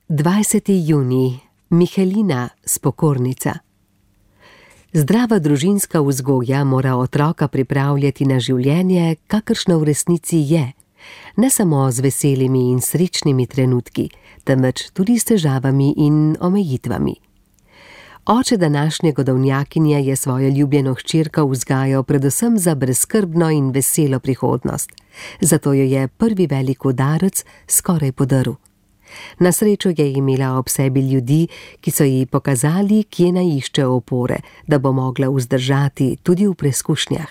20. junij, Michelina, spokornica. Zdrava družinska vzgoja mora otroka pripravljati na življenje, kakršno v resnici je, ne samo z veselimi in srečnimi trenutki, temveč tudi s težavami in omejitvami. Oče današnje godovnjakinje je svojo ljubljeno hčerko vzgajal predvsem za brezskrbno in veselo prihodnost, zato jo je prvi velik udarec skoraj podaril. Na srečo je imela ob sebi ljudi, ki so ji pokazali, kje naj išče opore, da bo mogla vzdržati tudi v preizkušnjah.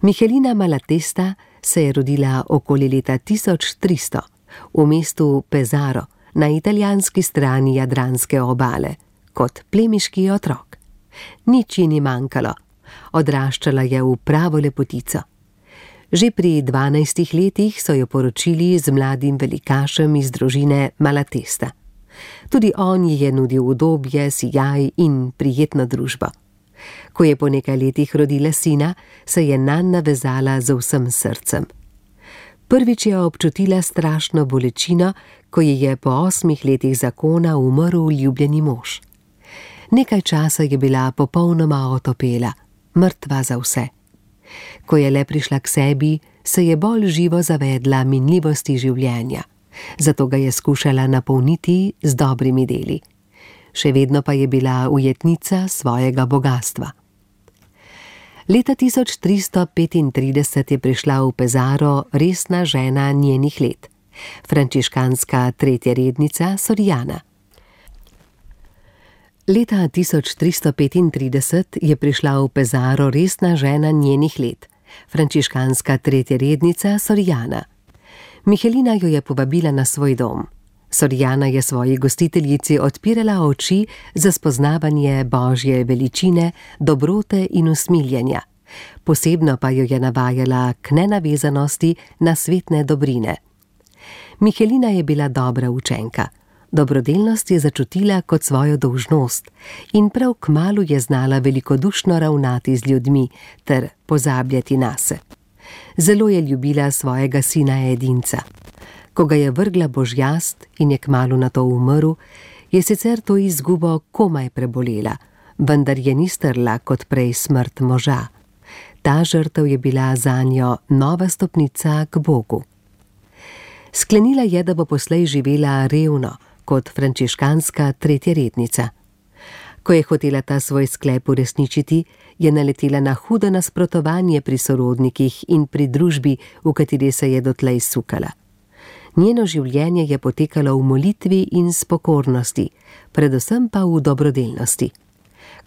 Michelina Malatesta se je rodila okoli leta 1300 v mestu Pesaro na italijanski strani Jadranske obale, kot plemiški otrok. Nič ji ni manjkalo, odraščala je v pravo lepotico. Že pri 12 letih so jo poročili z mladim velikašem iz družine Malatesta. Tudi on ji je nudil udobje, sijaj in prijetno družbo. Ko je po nekaj letih rodila sina, se je nanj navezala z vsem srcem. Prvič je občutila strašno bolečino, ko ji je po 8 letih zakona umrl ljubljeni mož. Nekaj časa je bila popolnoma otopela, mrtva za vse. Ko je le prišla k sebi, se je bolj živo zavedla minljivosti življenja, zato ga je skušala napolniti z dobrimi deli. Še vedno pa je bila ujetnica svojega bogastva. Leta 1335 je prišla v Pesaro resna žena njenih let, frančiškanska tretja rednica Soriana. Leta 1335 je prišla v Pesaro resna žena njenih let, frančiškanska tretja rednica Soriana. Michelina jo je povabila na svoj dom. Soriana je svoji gostiteljici odpirala oči za spoznavanje Božje veličine, dobrote in usmiljenja. Posebno pa jo je navajala k nenavezanosti na svetne dobrine. Michelina je bila dobra učenka. Dobrodelnost je začutila kot svojo dolžnost in prav kmalu je znala velikodušno ravnati z ljudmi ter pozabljati nase. Zelo je ljubila svojega sina edinca. Ko ga je vrgla božjast in je kmalu nato umrl, je sicer to izgubo komaj prebolela, vendar je ni strla kot prej smrt moža. Ta žrtev je bila zanjo nova stopnica k Bogu. Sklenila je, da bo poslej živela revno, kot frančiškanska tretja rednica. Ko je hotela ta svoj sklep uresničiti, je naletela na hudo nasprotovanje pri sorodnikih in pri družbi, v kateri se je dotlej sukala. Njeno življenje je potekalo v molitvi in spokornosti, predvsem pa v dobrodelnosti.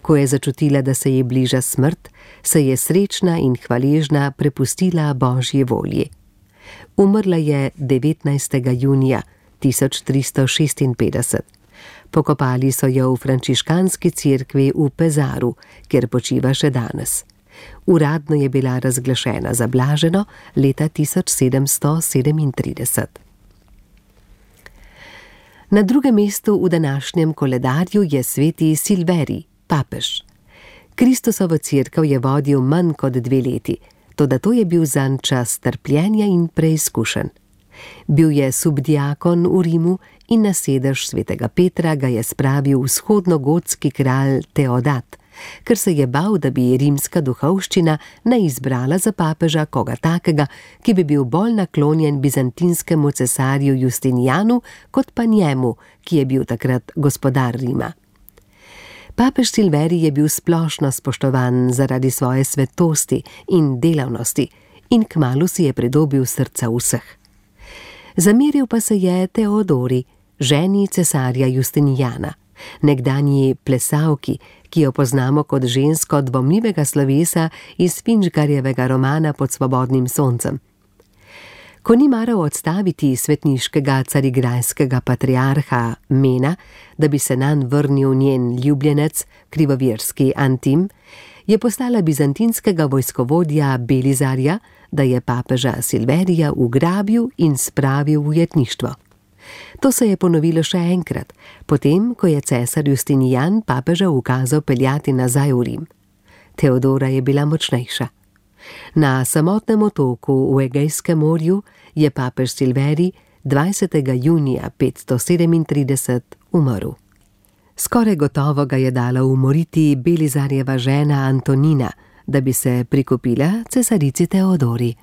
Ko je začutila, da se ji bliža smrt, se je srečna in hvaležna prepustila Božji volji. Umrla je 19. junija 1356. Pokopali so jo v frančiškanski cerkvi v Pesaru, kjer počiva še danes. Uradno je bila razglašena za blaženo leta 1737. Na drugem mestu v današnjem koledarju je sveti Silverij, papež. Kristusovo cerkev je vodil manj kot 2 leti, toda to je bil zanj čas trpljenja in preizkušenj. Bil je subdiakon v Rimu in na sedež svetega Petra ga je spravil vzhodnogotski kralj Teodat, ker se je bal, da bi rimska duhovščina ne izbrala za papeža koga takega, ki bi bil bolj naklonjen bizantinskemu cesarju Justinijanu, kot pa njemu, ki je bil takrat gospodar Rima. Papež Silverij je bil splošno spoštovan zaradi svoje svetosti in delavnosti in kmalu si je pridobil srca vseh. Zameril pa se je Teodori, ženi cesarja Justinijana, nekdanji plesalki, ki jo poznamo kot žensko dvomljivega slovesa iz Finžgarjevega romana Pod svobodnim soncem. Ko ni maral odstaviti svetniškega carigrajskega patriarha Mena, da bi se nanj vrnil njen ljubljenec, krivovirski Antim, je poslala bizantinskega vojskovodja Belizarja, da je papeža Silverija ugrabil in spravil v ujetništvo. To se je ponovilo še enkrat, potem, ko je cesar Justinijan papeža ukazal peljati nazaj v Rim. Teodora je bila močnejša. Na samotnem otoku v Egejskem morju je papež Silverij 20. junija 537 umrl. Skoraj gotovo ga je dala umoriti Belizarjeva žena Antonina, da bi se prikupila cesarici Teodori.